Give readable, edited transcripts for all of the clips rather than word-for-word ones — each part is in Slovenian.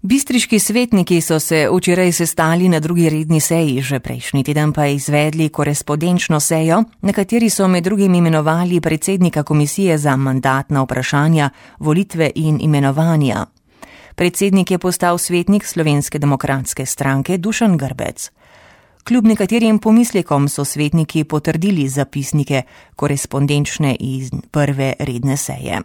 Bistriški svetniki so se včeraj sestali na drugi redni seji, že prejšnji teden pa izvedli korespondenčno sejo, na kateri so med drugim imenovali predsednika komisije za mandatna vprašanja, volitve in imenovanja. Predsednik je postal svetnik Slovenske demokratske stranke Dušan Grbec. Kljub nekaterim pomislekom so svetniki potrdili zapisnike korespondenčne iz prve redne seje.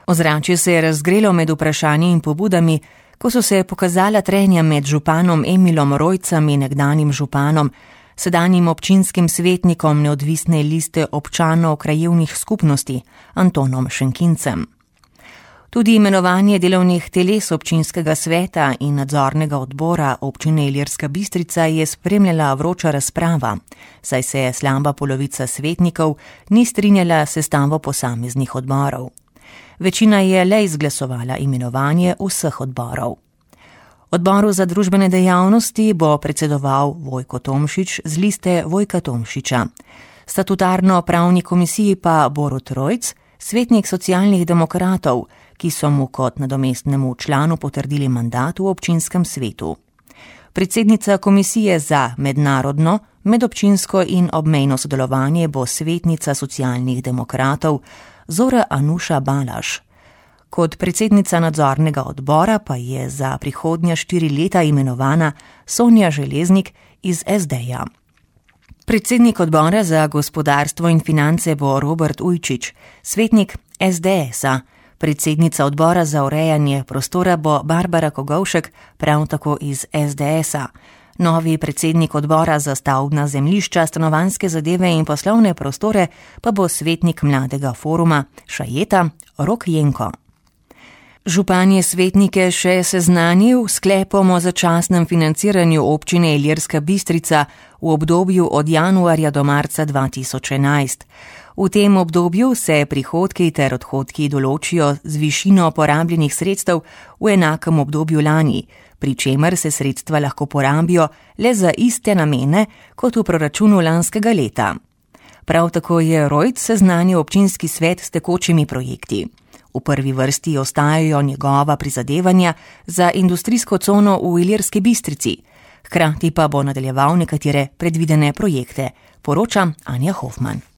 Ozračje se je razgrelo med vprašanji in pobudami, ko so se pokazala trenja med županom Emilom Rojcem in nekdanjim županom, sedanjim občinskim svetnikom neodvisne liste občanov krajevnih skupnosti Antonom Šenkincem. Tudi imenovanje delovnih teles občinskega sveta in nadzornega odbora občine Ilirska Bistrica je spremljala vroča razprava, saj se je slaba polovica svetnikov ni strinjala s sestavo posameznih odborov. Večina je le izglasovala imenovanje vseh odborov. Odboru za družbene dejavnosti bo predsedoval Vojko Tomšič z liste Vojka Tomšiča. Statutarno pravni komisiji pa Borut Rojc, svetnik socialnih demokratov, ki so mu kot nadomestnemu članu potrdili mandat v občinskem svetu. Predsednica komisije za mednarodno, medobčinsko in obmejno sodelovanje bo svetnica socialnih demokratov Zora Anuša Balaš. Kot predsednica nadzornega odbora pa je za prihodnja 4 leta imenovana Sonja Železnik iz SD-ja. Predsednik odbora za gospodarstvo in finance bo Robert Ujčič, svetnik SDS-a. Predsednica odbora za urejanje prostora bo Barbara Kogovšek, prav tako iz SDS-a. Novi predsednik odbora za stavbna zemljišča, stanovanjske zadeve in poslovne prostore pa bo svetnik mladega foruma Šajeta Rok Jenko. Župan je svetnike še seznanil s sklepom o začasnem financiranju občine Ilirska Bistrica v obdobju od januarja do marca 2011. V tem obdobju se prihodki ter odhodki določijo z višino porabljenih sredstev v enakem obdobju lani, pri čemer se sredstva lahko porabijo le za iste namene kot v proračunu lanskega leta. Prav tako je Rojc seznanil občinski svet s tekočimi projekti. V prvi vrsti ostajajo njegova prizadevanja za industrijsko cono v Ilirski Bistrici, hkrati pa bo nadaljeval nekatere predvidene projekte, poroča Anja Hofman.